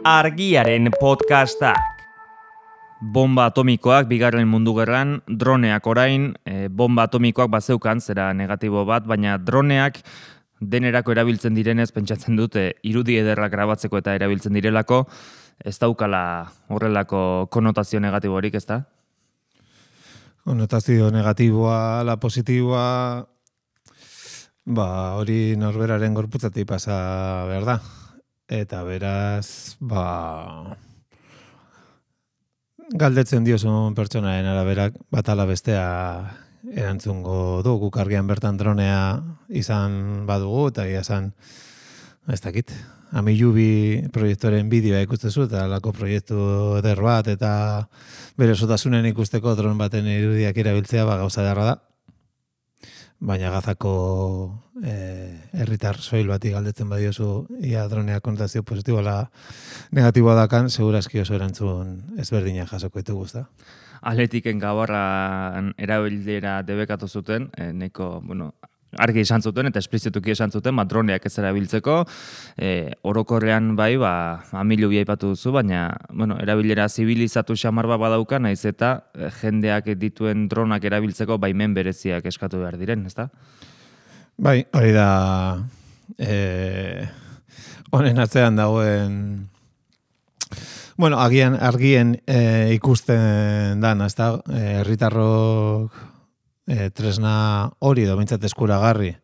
Argiaren podcastak. Bomba atomikoak bigarren mundu gerran, droneak orain, bomba atomikoak bazeukan, zera negatibo bat, baina droneak denerako erabiltzen direnez, pentsatzen dute irudi ederrak grabatzeko eta erabiltzen direlako, ez daukala horrelako konotazio negatiborik, ez da? Konotazio negatiboa, la positiboa, hori norberaren gorputzatik pasa behar da. Eta beraz, galdetzen diozun pertsonaren araberak bat ala bestea erantzungo du. Guk argian bertan dronea izan badugu, eta izan, ez dakit, Amilubi proiektoren bideoa ikustezu, eta alako proiektu eder bat, eta bere sotasunen ikusteko dron baten irudiak erabiltzea gauza darra da. Baina Gazako herritar soil bati galdetzen badiozu ia dronea konotazio positibo ala negatiboa dakan, segurazki oso erantzun ezberdina jasoko ditugu, ezta? Atletiken gabarran erabilera debekatu zuten, neko, argi esan zuten eta esplizituki esan zuten, droneak ez erabiltzeko, orokorrean bai, Amilubi aipatu duzu, baina, erabilera zibilizatu xamar bat badauka, naiz eta jendeak dituen dronak erabiltzeko baimen bereziak eskatu behar diren, ezta? Bai, hori da honen atzean dagoen argien ikusten dan, ezta? Herritarrok tresna hori edo behintzat eskuragarri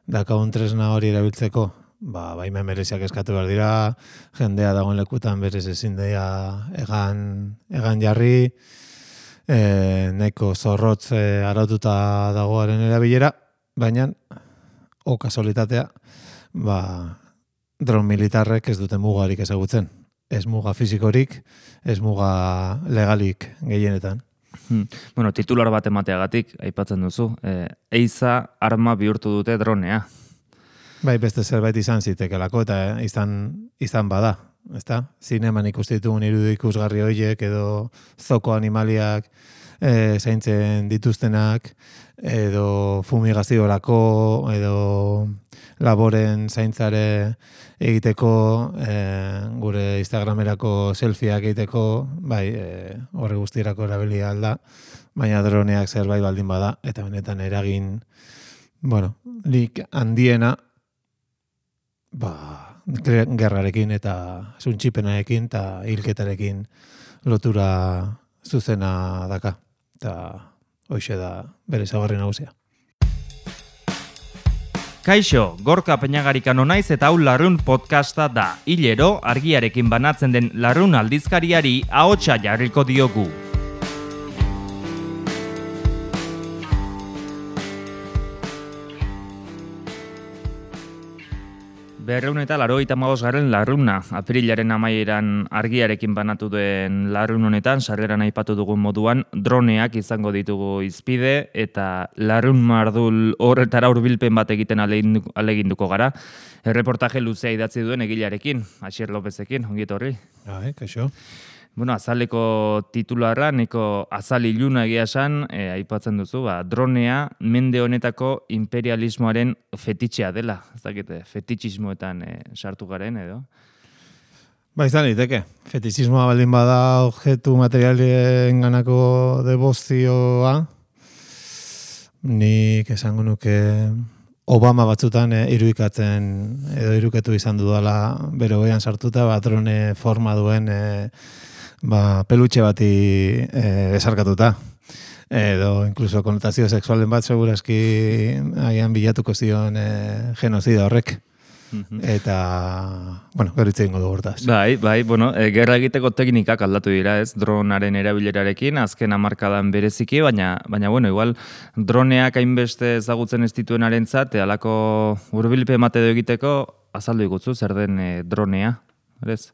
dakagun tresna hori erabiltzeko, baimen bereziak eskatu behar dira, jendea dagoen lekutan berez ezin daia egan jarri, nahiko zorrotz araututa dagoaren erabilera, baina kasolitatea, dron militarrek ez dute mugarik ezagutzen. Ez muga fizikorik, ez muga legalik gehienetan. Titular bat emateagatik, aipatzen duzu, eiza arma bihurtu dute dronea. Bai, beste zerbait izan zitekelako, eta izan bada, ezta? Zineman ikustitugun irudi ikusgarri horiek, edo zoko animaliak zaintzen dituztenak, edo fumigaziorako, edo laboren zaintzare egiteko, gure Instagramerako selfieak egiteko, bai, horre guztirako erabilia alda, baina droneak zerbait baldin bada, eta benetan eragin, lik handiena, gerrarekin eta zuntxipenarekin eta hilketarekin lotura zuzena daka, eta hoxe da bere ezaugarri nagusia. Kaixo, Gorka Peñagarikano naiz eta hau Larrun podcasta da. Hilero, argiarekin banatzen den Larrun aldizkariari ahotsa jarriko diogu. Berreun eta 95. Larruna, aprilaren amaieran argiarekin banatu den Larrun honetan, sarreran aipatu dugun moduan, droneak izango ditugu izpide, eta Larrun mardul horretara hurbilpen bat egiten aleginduko gara. Erreportaje luzea idatzi duen egilearekin, Asier Lopezekin, ongi etorri. Kaixo. Azaleko titularra, neko azal iluna egia esan, aipatzen duzu, dronea mende honetako imperialismoaren fetitxea dela. Ez dakite, fetitxismoetan sartu garen edo? Izan liteke. Fetitxismoa baldin bada objektu materialen ganako debozioa, nik esango nuke Obama batzutan irudikatzen edo irukatu izan dudala bere hogean sartuta, drone forma duen pelutxe bati esarkatuta. Edo, inkluso, konotazio sexualen bat segurazki agian bilatuko zion genozida horrek. Eta, gero hitz egingo dugu hortaz. Bai, gerra egiteko teknikak aldatu dira, ez? Dronaren erabilerarekin, azken hamarkadan bereziki, baina, igual, droneak hainbeste ezagutzen ez dituenarentzat, halako hurbilpen bat edo egiteko, azaldu igutzu, zer den dronea, ez?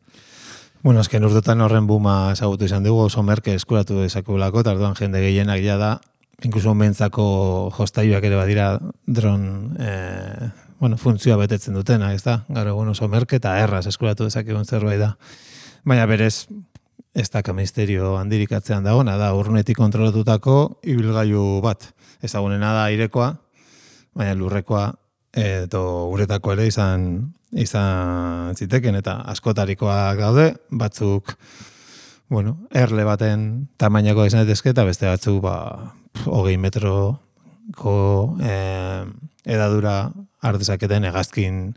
Azken urtetan horren buma ezagutu izan dugu, oso merke eskuratu dezakegulako, eta orduan jende gehienak ja da, inkluso mentzako jostailuak ere badira dron funtzioa betetzen dutena, ez da? Gaur egun oso merke eta erraz eskuratu dezakegun zerbait da. Baina berez, ez da misterio handirik atzean dagoena, da urrunetik kontrolatutako ibilgailu bat. Ezagunena da airekoa, baina lurrekoa edo uretako ere izan izan ziteken, eta askotarikoak daude, batzuk, bueno, erle baten tamainako izan daitezke, eta beste batzuk, 20 metroko edadura ardezaketen hegazkin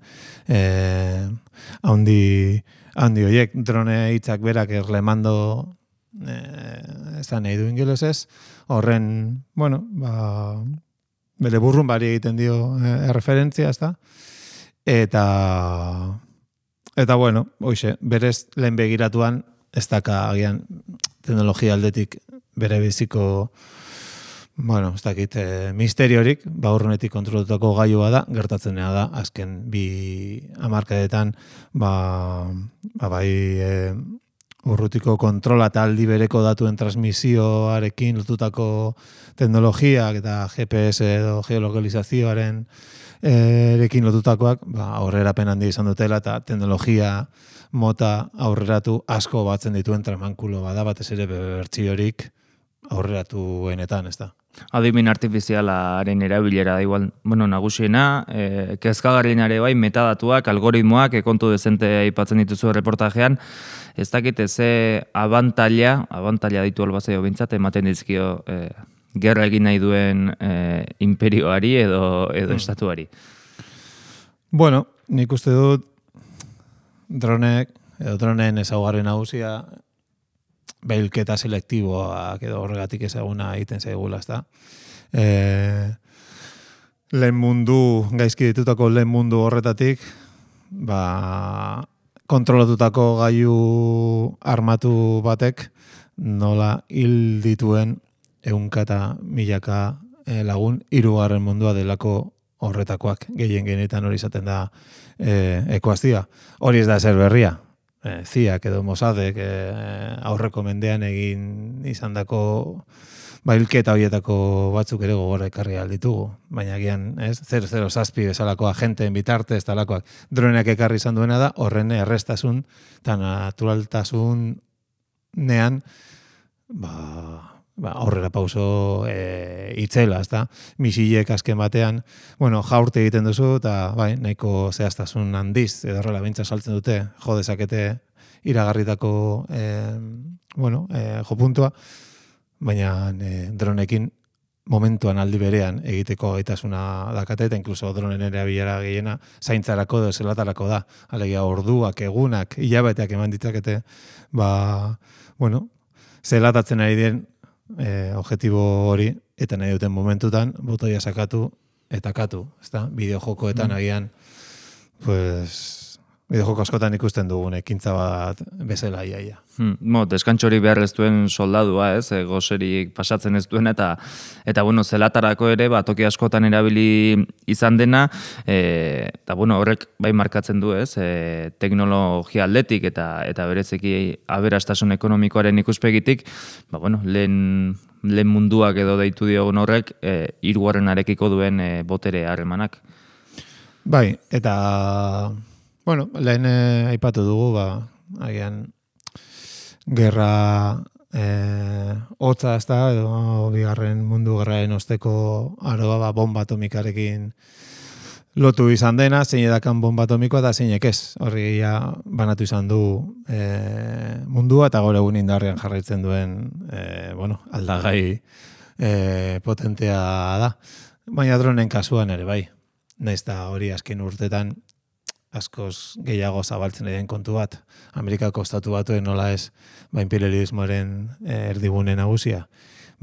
handi horiek. Drone hitzak berak erlemando nahi du ingelesez, horren, bueno, bere burrun bari egiten dio referentzia, ezta? Eta bueno, hoxe, berez lehen begiratuan, ez daka agian teknologia aldetik bere biziko, bueno, ez dakit, misteriorik, urrunetik kontrolatutako gailua da, gertatzenea da, azken 2 hamarkadetan, bai, urrutiko kontrola eta aldi bereko datuen transmisioarekin lotutako teknologiak eta GPS edo geolokalizazioaren erekin lotutakoak, aurrerapen handi izan dutela eta teknologia mota aurreratu asko batzen dituen tramankulo bada, batez ere bertsiorik aurreratuenetan, ez da. Adimen artifizialaren erabilera da igual, bueno, nagusiena, kezkagarrienare bai, metadatuak, algoritmoak, kontu dezente aipatzen dituzu reportajean, ez dakit ze abantaila ditu albazaio bintzat, ematen dizkio gerra egin nahi duen imperioari edo estatuari. Bueno, nik uste dut droneen ezaugarri nagusia behilketa selektiboak edo horregatik ezaguna egiten zaigula, ezta. Lehen mundu, gaizki ditutako lehen mundu horretatik, kontrolatutako gailu armatu batek nola hil dituen 100 eta 1000 lagun 3. mundua delako horretakoak, gehienetan hori izaten da ekuazioa. Hori ez da ezer berria. Ziak edo Mossadek aurreko mendean egin izandako hilketa horietako batzuk ere gogora ekarri alditugu. Baina gian, 007 bezalako agenteen bitartez talakoak droneak ekarri izan duena da, horren errestasun eta naturaltasun nean aurrera pauso itzela, ezta? Misilek azken batean, bueno, jaurte egiten duzu, eta nahiko zehaztasun handiz, edo horrela bintza saltzen dute, jo dezakete iragarritako jopuntua, baina dronekin momentuan aldi berean egiteko gaitasuna dakate, eta inkluso dronen erabilera gehiena zaintzarako edo zelatarako da. Alegia orduak, egunak, hilabeteak eman ditzakete, zelatatzen ari den objektibo hori, eta nahi duten momentutan, botoia sakatu eta katu, ezta? Bideojokoetan agian, bideojoko askotan ikusten dugun ekintza bat bezala iaia. Deskantxori behar ez duen soldadua, goserik pasatzen ez duen, eta zelatarako ere, toki askotan erabili izan dena, eta horrek bai markatzen du, teknologia aldetik eta berezeki aberastasun ekonomikoaren ikuspegitik, lehen munduak edo deitu diogun horrek, 3. duen botere harremanak. Bai, eta lehen aipatu dugu, agian gerra hotza, ez da, edo 2. mundu gerraren osteko aroa bomba atomikarekin lotu izan dena, zein edakan bomba atomikoa eta zeinek ez. Horri banatu izan du mundua eta gaur egun indarrean jarraitzen duen aldagai potentea da. Baina dronen kasuan ere bai. Naiz da hori azken urtetan askoz gehiago zabaltzen den kontu bat. Amerikako estatu batuen nola ez imperialismoaren erdigune nagusia.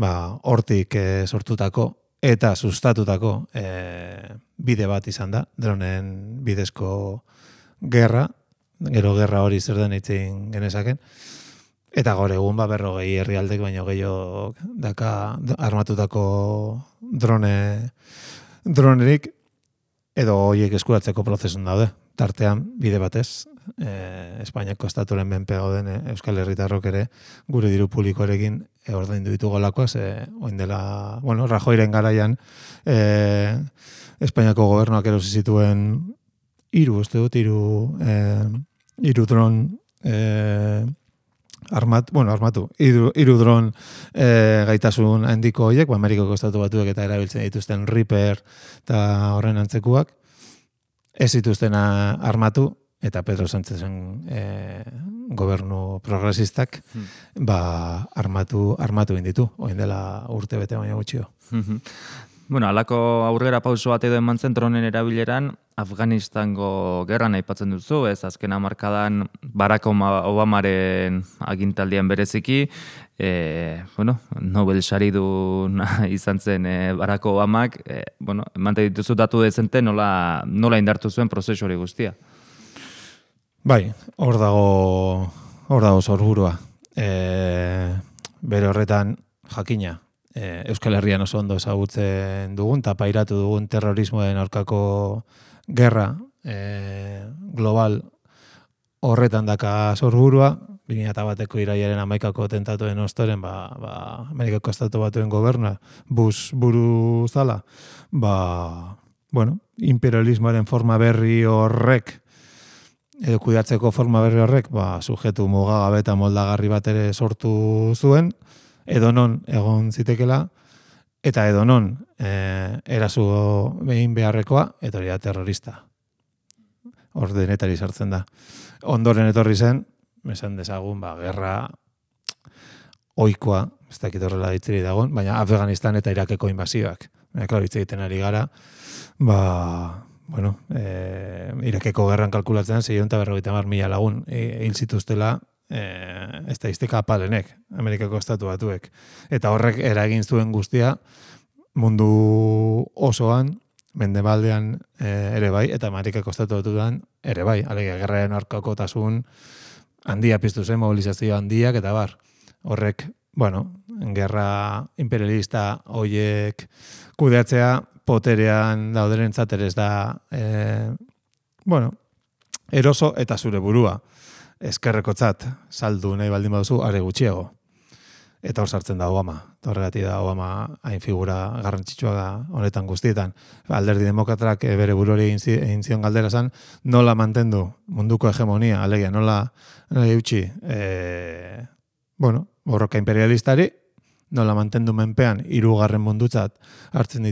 Hortik sortutako eta sustatutako bide bat izan da, dronen bidezko gerra, gero gerra hori zer den eitzen genezaken, eta gaur egun 40 herrialdek baino gehiago daka armatutako dronerik, edo horiek eskuratzeko prozesun daude. Tartean, bide batez, Espainiako estaturen menpe gauden Euskal Herritarrok ere gure diru publikoarekin ordaindu ditugolakoa, oin dela, Rajoyren garaian Espainiako gobernuak erosi zituen 3 dron armatu, 3 dron gaitasun handiko horiek, Amerikako estatu batuek eta erabiltzen dituzten Reaper eta horren antzekuak, ez zituzten armatu, eta Pedro Sánchezen gobernu progresistak armatu inditu, oin dela urte bete baina gutxio. Bueno, alako aurrera pauso bat edo eman zen dronen erabileran, Afganistango gerran aipatzen duzu, ez azken hamarkadan Barack Obamaren agintaldian bereziki, Nobel saridun izan zen Barack Obamak, emante dituzu datu dezente nola indartu zuen prozesu hori guztia. Bai, hor dago sorburua. Bere horretan jakina, Euskal Herrian oso ondo ezagutzen dugun, eta pairatu dugun terrorismoen aurkako gerra global horretan daka sorburua, 2001ko irailaren 11ko tentatuen ostoren, Amerikako Estatu Batuen gobernua, Bush buru zala, imperialismoaren forma berri horrek, edo kudeatzeko forma berri horrek, sujetu mugagabe eta moldagarri bat ere sortu zuen, edonon egon zitekela, eta edonon eraso behin beharrekoa, eta hori da terrorista. Hor denetari sartzen da. Ondoren etorri zen, esan dezagun, gerra ohikoa, ez dakit horrela ditzeri dagoen, baina Afganistan eta Irakeko inbazioak. Klaro, hitz egiten ari gara, Irakeko gerran kalkulatzen 650.000 lagun hil zituztela estadistika apalenek, Amerikako Estatu Batuek. Eta horrek eragin zuen guztia mundu osoan, mendebaldean ere bai, eta Amerikako Estatu Batuan ere bai. Alegia, gerraren aurkakotasun handia piztu zen, mobilizazio handiak, eta horrek, gerra imperialista hoiek kudeatzea, poterean dauderentzat ere ez da, eroso eta zure burua. Eskerrekotzat saldu nahi baldin baduzu, are gutxiago. Eta hor sartzen da Obama. Horregatik da Obama hain figura garrantzitsua honetan guztietan. Alderdi demokratak bere buruari egin zion galdera zan, nola mantendu munduko hegemonia, alegia, nola eutxi, borroka imperialistari, nola mantendu menpean hirugarren mundutzat hartzen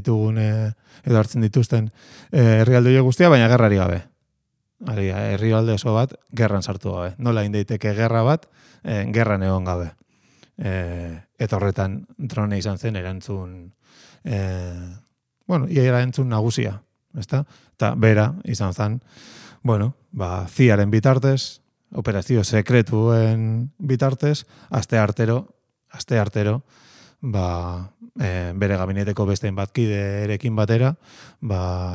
dituzten herrialde guztia, baina gerrari gabe. Herrialde oso bat, gerran sartu gabe. Nola indeiteke gerra bat, gerran egon gabe. Eta horretan drone izan zen erantzun, erantzun nagusia. Eta bera izan zen, CIA-ren bitartez, operazio sekretuen bitartez, aste artero, bere gabineteko bestein batkiderekin batera,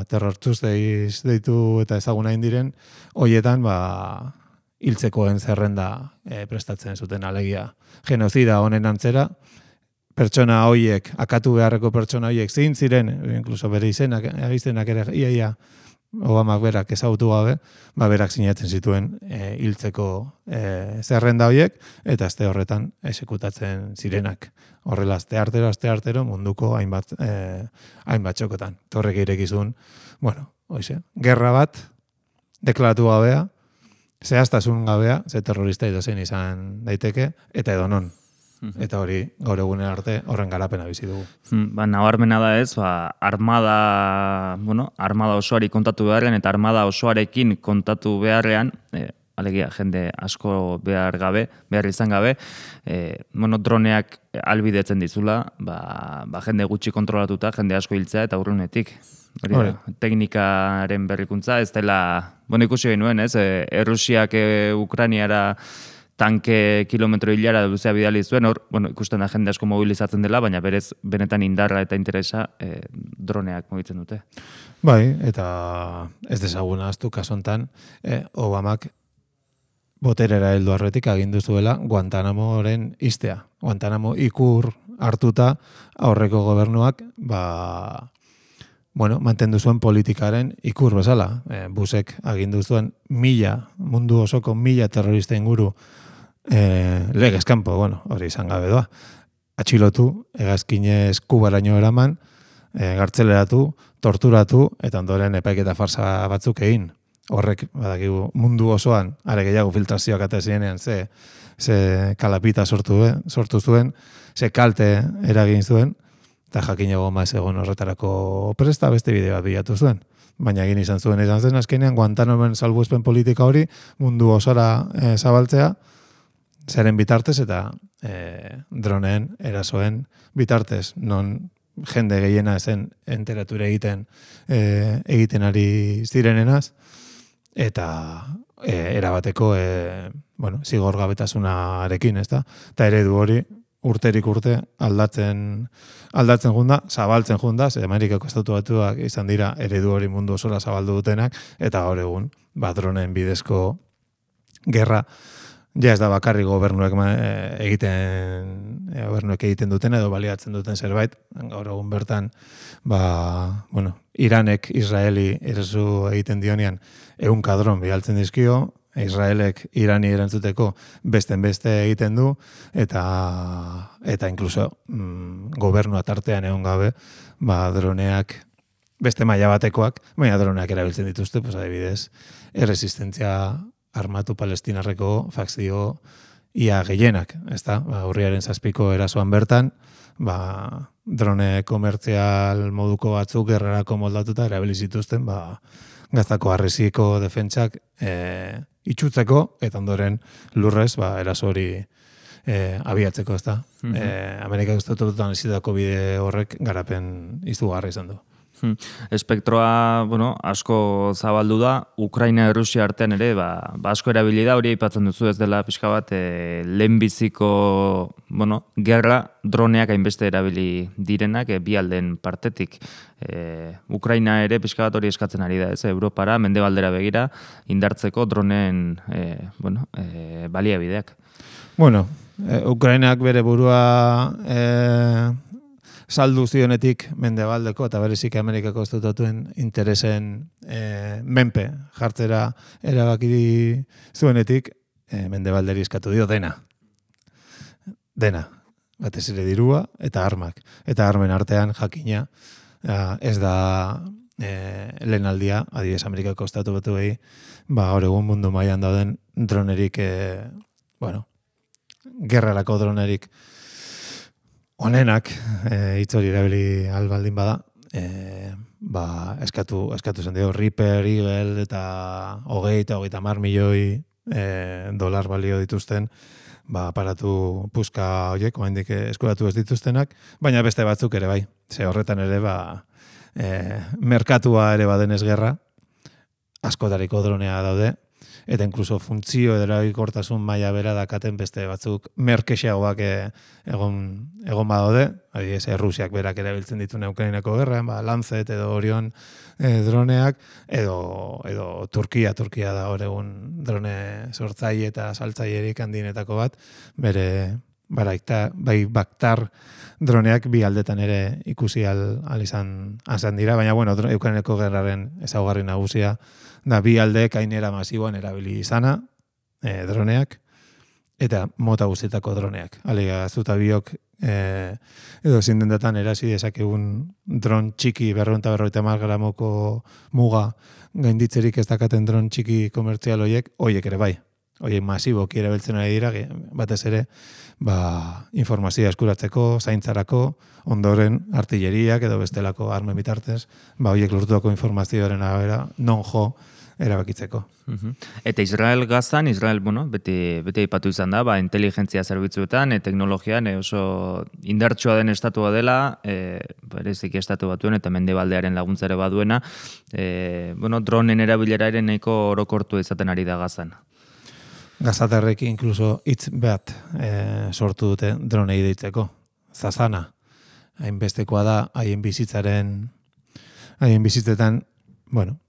Terror Tuesdays deitu eta ezaguna indiren, hoietan, hiltzekoen zerrenda prestatzen zuten alegia. Genozida honen antzera, pertsona hoiek, akatu beharreko pertsona hoiek zein ziren, inkluso bere izenak ere iaia Obamak berak ezagutu gabe, berak sinatzen zituen hiltzeko zerrenda hoiek, eta aste horretan esekutatzen zirenak. Horrela, aste artero munduko hainbat txokotan. Torrek irekizun, gerra bat, deklaratu gabea, zehaztasun gabea, ze terrorista edozein izan daiteke, eta edonon. Eta hori, gaur egunen arte, horren garapena bizi dugu. Nabarmena da ez, armada osoari kontatu beharrean, eta armada osoarekin kontatu beharrean, alegia, jende asko behar izan gabe, droneak albidetzen dizula, jende gutxi kontrolatuta, jende asko hiltzea eta urrunetik. Teknikaren berrikuntza, ez dela, ikusi genuen, ez, Errusiak Ukrainiara tanke kilometro hilara luzea bidali zuen, ikusten da jende asko mobilizatzen dela, baina berez benetan indarra eta interesa droneak mugitzen dute. Bai, eta ez desaguna aztu kasontan, Obamak boterera heldu arretik agindu zuela Guantanamoren istea. Guantanamo ikur hartuta aurreko gobernuak, mantendu zuen politikaren ikur bezala. Busek agindu zuen mundu osoko 1000 terrorista inguru legez kanpo, hori izan gabe doa. Atxilotu, hegazkinez Kubaraino eraman, gartzeleratu, torturatu, eta ondoren epaiketa farsa batzuk egin. Horrek, badakigu, mundu osoan, are gehiago filtrazioak ate zirenean, ze kalapita sortu zuen, ze kalte eragin zuen, eta jakin egon ez egon horretarako presta beste bide bat bilatu zuen. baina egin izan zen azkenean Guantanamoen salbuespen politika hori mundu osora zabaltzea, zeren bitartez eta droneen erasoen bitartez, non jende gehiena zen enteratura egiten ari zirenenaz, eta erabateko zigorgabetasunarekin, ezta? Eta eredu hori urterik urte aldatzen junda, zabaltzen junda, ze Amerikako Estatu Batuak izan dira eredu hori mundu osora zabaldu dutenak, eta gaur egun, dronen bidezko gerra, ja ez da bakarri gobernuek egiten duten edo baliatzen duten zerbait, gaur egun bertan, Iranek Israeli eraso egiten dionean 100 dron bialtzen dizkio, Israelek Irani erantzuteko beste egiten du, eta inkluso gobernua tartean egon gabe, droneak beste maila batekoak, baina droneak erabiltzen dituzte, adibidez, erresistentzia armatu palestinarreko fakzio ia gehienak, ezta? Urriaren 7ko erasoan bertan, drone komertzial moduko batzuk gerrarako moldatuta erabili zituzten, Gaztako harresiko defentsak itxutzeko, eta ondoren lurrez, eraso hori abiatzeko, ezta? Amerikako Estatu Batuetan ezitako bide horrek garapen izugarri izan du. Espektroa, asko zabaldu da, Ukraina eta Rusia artean ere, asko erabili da, hori aipatzen duzu ez dela pixka bat, lehenbiziko, gerra droneak hainbeste erabili direnak, bi alden partetik. Ukraina ere pixka bat hori eskatzen ari da, ez, Europara, mendebaldera begira, indartzeko droneen, baliabideak. Ukrainak bere burua saldu zionetik mendebaldeko eta berezik Amerikako Estatutuen interesen menpe jartzera erabaki zuenetik mendebalderi eskatu dio dena. Batez ere dirua eta armak. Eta armen artean jakina ez da lehen aldia, adibidez Amerikako Estatu Batuei, gaur egun mundu mailan dauden dronerik, gerrarako dronerik honenak, hitz hori erabili albaldin bada, eskatu zen dio Reaper, Eagle eta 30 milioi dolar balio dituzten, aparatu puska horiek, oraindik eskuratu ez dituztenak, baina beste batzuk ere bai. Ze horretan ere merkatua ere badenez gerra, askotariko dronea daude, eta inkluso funtzio edo erabilkortasun maila bera dakaten beste batzuk merkexeagoak egon badaude, adibidez Rusiak berak erabiltzen ditu Ukrainako gerran, Lancet edo Orion droneak, edo Turkia da hor egun drone sortzaile eta saltzailerik handienetako bat, bere Bayraktar droneak bi aldetan ere ikusi al izan dira, baina Ukrainako gerraren ezaugarri nagusia da bi aldeek hainera masiboan erabili izana, droneak, eta mota guztietako droneak. Alega, zuta biok edo zindendetan erasi dezakegun dron txiki 250 gramoko muga gainditzerik ez dakaten dron txiki komertzial horiek ere bai. Horiek masiboki erabiltzen ari dira, batez ere, informazioa eskuratzeko, zaintzarako, ondoren artilleriak edo bestelako armen bitartez, horiek lortutako informazioaren arabera non jo erabakitzeko. Eta Israel-Gazan, beti aipatu izan da, inteligentzia zerbitzuetan, teknologian oso indartsua den estatua dela, berezik estatu batuen eta mendebaldearen laguntzare baduena, dronen erabilera ere nahiko orokortu izaten ari da Gazan. Gazatarrek inkluso hitz bat sortu dute dronei deitzeko. Zazana. Hainbestekoa da, haien bizitzetan,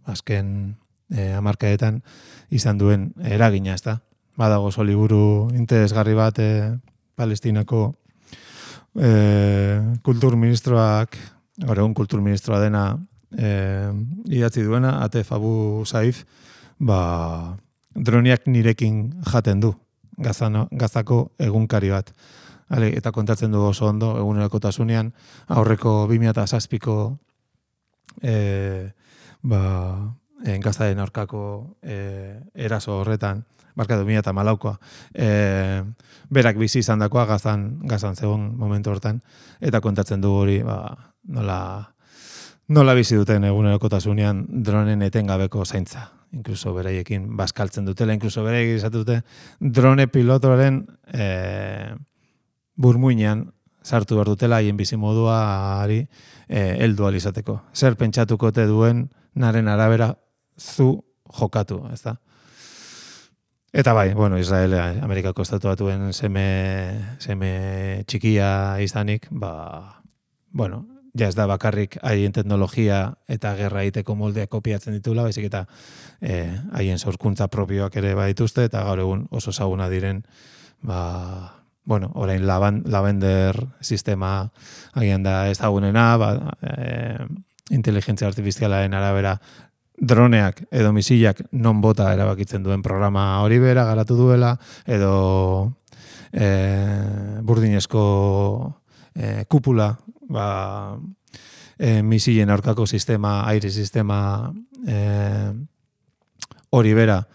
azken hamarkadetan izan duen eragina, ezta? Badago oso liburu interesgarri bat Palestinako kulturministroak, gaur egun kulturministroa dena idatzi duena, Atef Abu Saif, droniak nirekin jaten du, Gazako egunkari bat. Eta kontatzen du oso ondo, egunerokotasunean, aurreko 2007ko Gazaren aurkako eraso horretan, 2014koa, berak bizi izan dakoa Gazan zegoen momentu hortan, eta kontatzen du hori, nola nola bizi duten egunerokotasunean dronen etengabeko zaintza. Inkluso beraiekin bazkaltzen dutela, inkluso beraiekin izatu dute drone pilotoren burmuinean sartu behar dutela haien bizimoduari heldu ahal izateko. Zer pentsatuko te duen naren arabera zu jokatu, ez da? Eta bai, bueno, Israel, Amerikako estatu batuen seme txikia izanik, bueno, ja ez da bakarrik haien teknologia eta gerra egiteko moldeak kopiatzen ditula, baizik eta haien sorkuntza propioak ere badituzte, eta gaur egun oso ezaguna diren, bueno, orain Lavender sistema agian da ezagunena, inteligentzia artifizialaren arabera droneak edo misilak non bota erabakitzen duen programa hori bera garatu duela, edo burdinezko kupula, misilen aurkako sistema, aire sistema hori bera,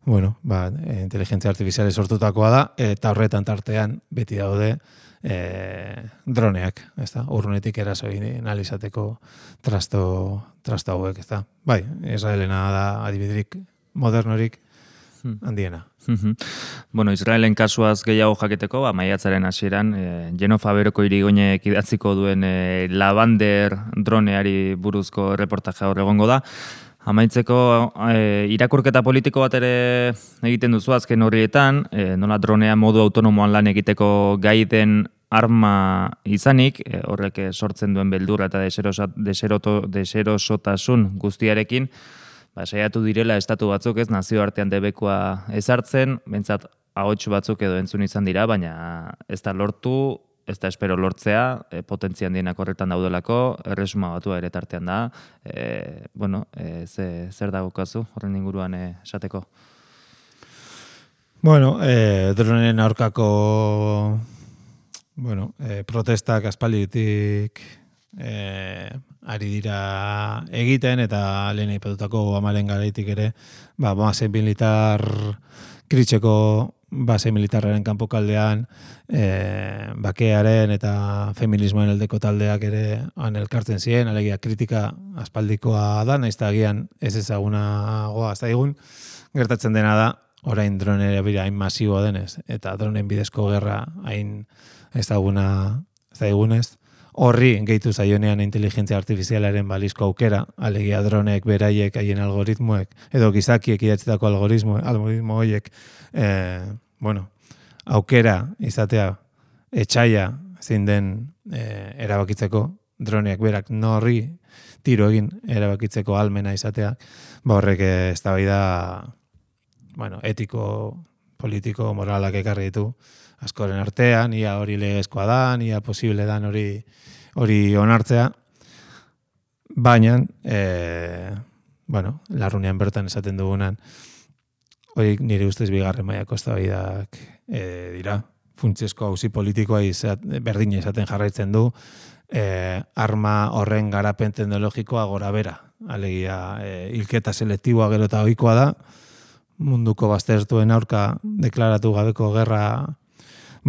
bueno, inteligentzia artifiziale sortutakoa da, eta horretan tartean beti daude droneak, ez da, urrunetik erasoi analizateko trasto hauek, ez da. Bai, Israelena da adibiderik modernorik handiena. Bueno, Israelen kasuaz gehiago jaketeko, maiatzaren hasieran, Genofa Beroko irigoinek idatziko duen Lavender droneari buruzko reportaje hor egongo da. Amaitzeko irakurketa politiko bat ere egiten duzu azken horrietan, nola dronea modu autonomoan lan egiteko gai den arma izanik, horrek sortzen duen beldurra eta deserosotasun guztiarekin, saiatu direla estatu batzuk ez nazioartean debekua ezartzen, bentsat ahots batzuk edo entzun izan dira, baina ez da lortu, ez da espero lortzea, potentzia handienak horretan daudelako, erresuma batua ere tartean da. Bueno, zer dagokazu horren inguruan esateko? Bueno, droneen aurkako protestak aspalditik ari dira egiten, eta lehen aipatutako Obamaren garaitik ere, base militar kritxeko base militarraren kanpokaldean bakearen eta feminismoen aldeko taldeak ere han elkartzen ziren, alegia kritika aspaldikoa da, nahiz eta agian ez ezagunagoa zaigun, gertatzen dena da, orain dronera bira hain masiboa denez, eta dronen bidezko gerra hain ezaguna zaigunez, horri gehitu zaionean inteligentzia artifizialaren balizko aukera, alegia dronek beraiek haien algoritmoek, edo gizakiek idatzetako algoritmo horiek, aukera izatea etxaia zein den erabakitzeko, droneak berak norri tiro egin erabakitzeko almena izatea, horrek eztabaida etiko, politiko, moralak ekarri ditu askoren artean, ia hori legezkoa da, ia posible dan hori onartzea, baina, larrunean bertan esaten dugunan, hori nire ustez bigarren mailako eztabaidak dira. Funtsezko auzi politikoa berdina izaten jarraitzen du, arma horren garapen teknologikoa gora bera. Alegia, hilketa selektiboa gero eta ohikoa da, munduko baztertuen aurka deklaratu gabeko gerra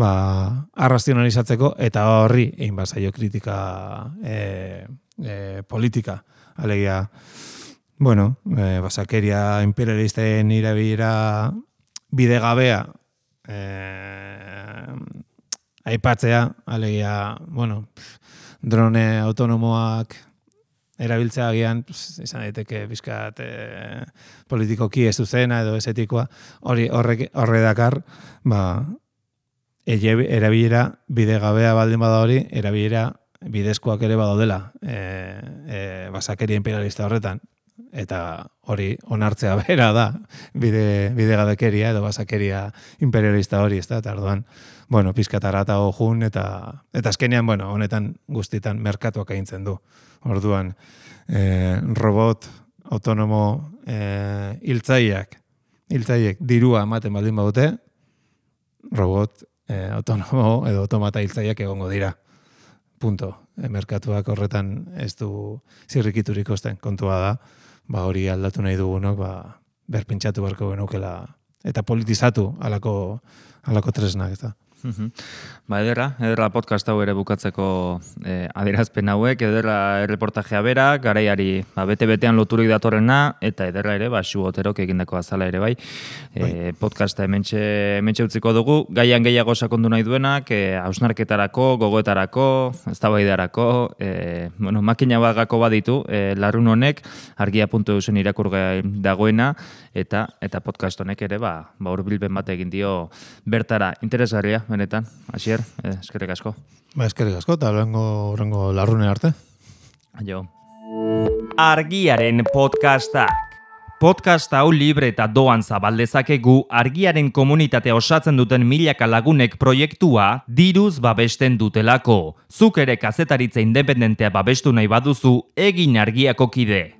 arrazionalizatzeko, eta horri egin bazaio kritika politika. Alegia, basakeria imperialisten irabilera bidegabea aipatzea, alegia, drone autonomoak erabiltzea agian, izan daiteke bizkat politikoki ez zuzena edo ez etikoa, horre dakar, erabilera bidegabea baldin bada hori, erabilera bidezkoak ere badaudela basakeria imperialista horretan, eta hori onartzea bera da bidegabekeria edo basakeria imperialista hori, ez da, eta orduan, pizkatarata jun, eta azkenean, honetan guztietan merkatuak egintzen du. Orduan, robot autonomo hiltzaileek dirua ematen baldin badute, robot autonomo edo automata hiltzaileak egongo dira. Punto. Merkatuak horretan ez du zirrikiturik osten, kontua da, hori aldatu nahi dugunok, berpentsatu beharko genukela, eta politizatu alako tresnak, ez da. Ba, ederra podcast hau ere bukatzeko adierazpen hauek, ederra erreportajea bera, garaiari bete-betean loturik datorrena, eta ederra ere, Xu Oterok egindako azala ere bai. Podcasta hementxe utziko dugu, gaian gehiago sakondu nahi duenak, hausnarketarako, gogoetarako, eztabaidarako, makina bagako baditu, larrun honek, argia.eusen irakurgai dagoena, eta podcast honek ere, hurbilpen bat egin dio bertara. Interesgarria, benetan, Asier, eskerrik asko. Eskerrik asko, eta horrengo larrune arte. Jo. Argiaren podcastak. Podcast hau libre eta doan zabaldezakegu Argiaren komunitatea osatzen duten milaka lagunek proiektua diruz babesten dutelako. Zuk ere kazetaritza independentea babestu nahi baduzu, egin Argiako kide.